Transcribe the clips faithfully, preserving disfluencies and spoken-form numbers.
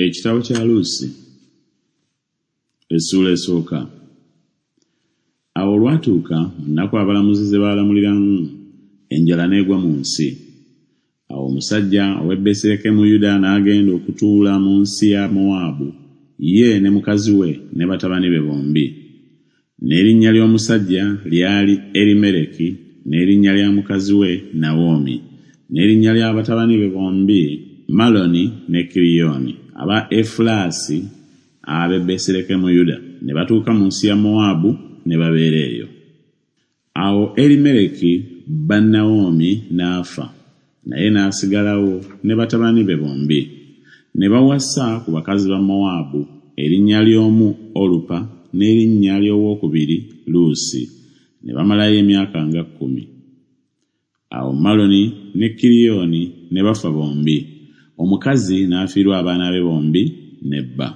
Ekitabo kya Luusi essuula esooka. Awo olwatuuka mu nnaku abalamuzi ze baalamuliramu, enjala n'egwa mu nsi. Awo omusajja ow'e Besirekemu Yuda n'agenda okutuula mu nsi ya Mowaabu, ye ne mukazi we ne batabani be bombi. N'erinnya ly'omusajja lyali Erimereki, n'erinnya lya mukazi we Nawomi, n'erinnya lya batabani be bombi Maloni ne Kiriyoni, aba Efulaasi ab'e Besirekemu Yuda, ne batuuka mu nsi ya Mowaabu ne babeera eyo. Awo Erimereki bba Nawomi n'afa, naye n'asigalawo ne batabani be bombi. Ne bawasa ku bakazi ba Mowaabu, erinnya ly'omu Olupa n'erinnya ly'owookubiri Luusi, ne bamalayo emyaka nga kkumi. Awo Maloni ne Kiriyoni ne bafa bombi, omukazi n'afiirwa abaana be bombi ne bba.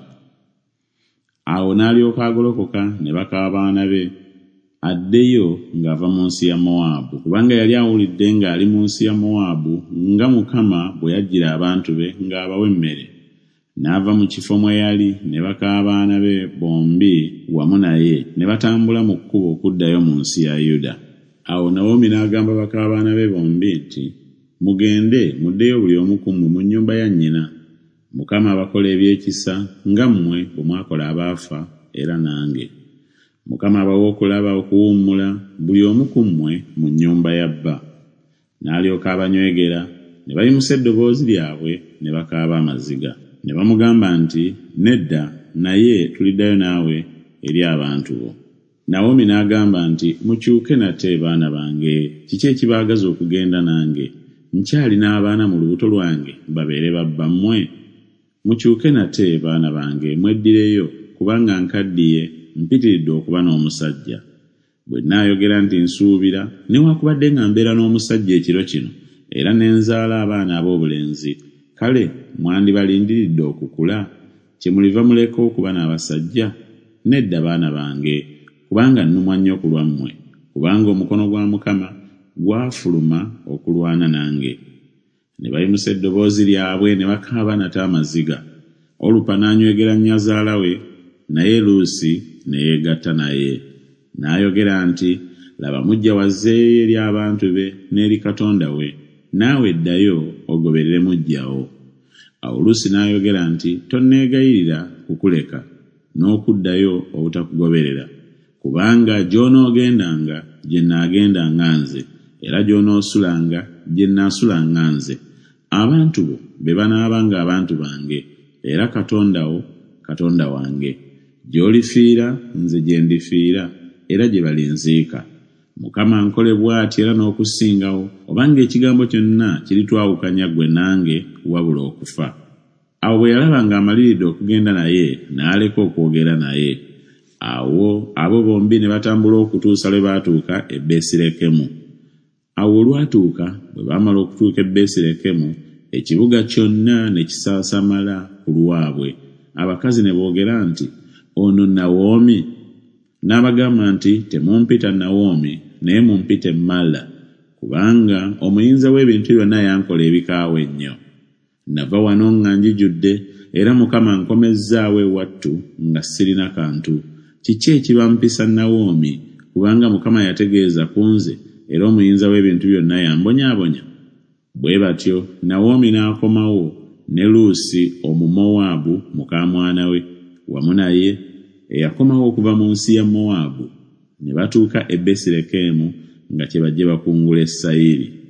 Awo n'alyoka agolokoka ne baka abaana be, addeyo ng'ava mu nsi ya Mowaabu, kubanga yali awulidde ng'ali mu nsi ya Mowaabu nga Mukama bwe yajjira abantu be ng'abawa emmere. N'ava mu kifo mwe yali ne baka abaana be bombi wamu naye, ne batambula mu kkubo okuddayo mu nsi ya Yuda. Awo Nawomi n'agamba baka abaana be bombi nti, Mugende muddeyo buli omu ku mmwe mu nnyumba ya nnyina. Mukama abakole eby'ekisa nga mmwe bwe mwakola abaafa era nange. Mukama abawe okulaba okuwummula buli omu ku mmwe mu nnyumba ya bba. N'alyoka abanywegera, ne bayimusa eddoboozi lyabwe ne bakaaba amaziga. Ne bamugamba nti, Nedda, naye tuliddayo naawe eri abantu bo. Nawomi n'agamba nti, Mukyuke nate, baana bange, kiki ekibaagaza okugenda nange? Nkyalina abaana mu lubuto lwange babeere babbammwe? Mukyuke nate, baana bange, mweddireyo, kubanga nkaddiye, mpitiridde okuba n'omusajja. Bwe nnaayogera nti nsuubira, newaakubadde nga mbeera n'omusajja ekiro kino, era ne nzaala abaana ab'obulenzi, kale mwandibalindiridde okukula, kyemuliva muleka okuba n'abasajja? Nedda, baana bange, kubanga nnumwa nnyo ku lwammwe, kubanga omukono gwa Mukama gwafuluma okulwana nange. Ne bayimusa eddoboozi lyabwe ne bakaaba nate amaziga. Olupa n'anywegera nnyazaala we, naye Luusi ne yeegatta naye. N'ayogera nti, Laba muggya wo azzeeyo eri abantu be n'eri Katonda we, naawe ddayo ogoberere muggya wo. Awo Luusi n'ayogera nti, Tonneegayirira kukuleka, n'okuddayo obutakugoberera, kubanga gy'onoogendanga gye nnaagendanga nze, era gy'onoosulanga gye nnaasulanga nze. Abantu bo be banaabanga abantu bange, era Katonda wo Katonda wange. Gy'olifiira nze gye ndifiira, era gye balinziika. Mukama ankole bw'ati era n'okusingawo, obanga ekigambo kyonna kiritwawukanya ggwe nange wabula okufa. Awo bwe yalaba ng'amaliridde okugenda naye, n'aleka okwogera naye. Awo abo bombi ne batambula okutuusa lwe baatuuka e Besirekemu. Awo olwatuuka bwe baamala okutuuka e Besirekemu, ekibuga kyonna ne kisaasamala ku lwabwe. Abakazi ne boogera nti, Ono Nawomi? N'abagamba nti, Temumpita Nawomi, naye mumpite Mala, kubanga Omuyinza w'ebintu byonna yankola ebikaawa ennyo. Nava wano nga njijudde, era Mukama ankomezzaawo ewattu nga sirina kantu. Kiki ekibampisa Nawomi, kubanga Mukama yategeeza ku nze, era Omuyinza w'ebintu byonna yambonyaabonya? Bwe batyo Nawomi n'akomawo, ne Luusi Omumowaabu muka mwana we wamu naye, eyakomawo okuva mu nsi ya Mowaabu, ne batuuka e Besirekemu nga kyebajje bakungule sayiri.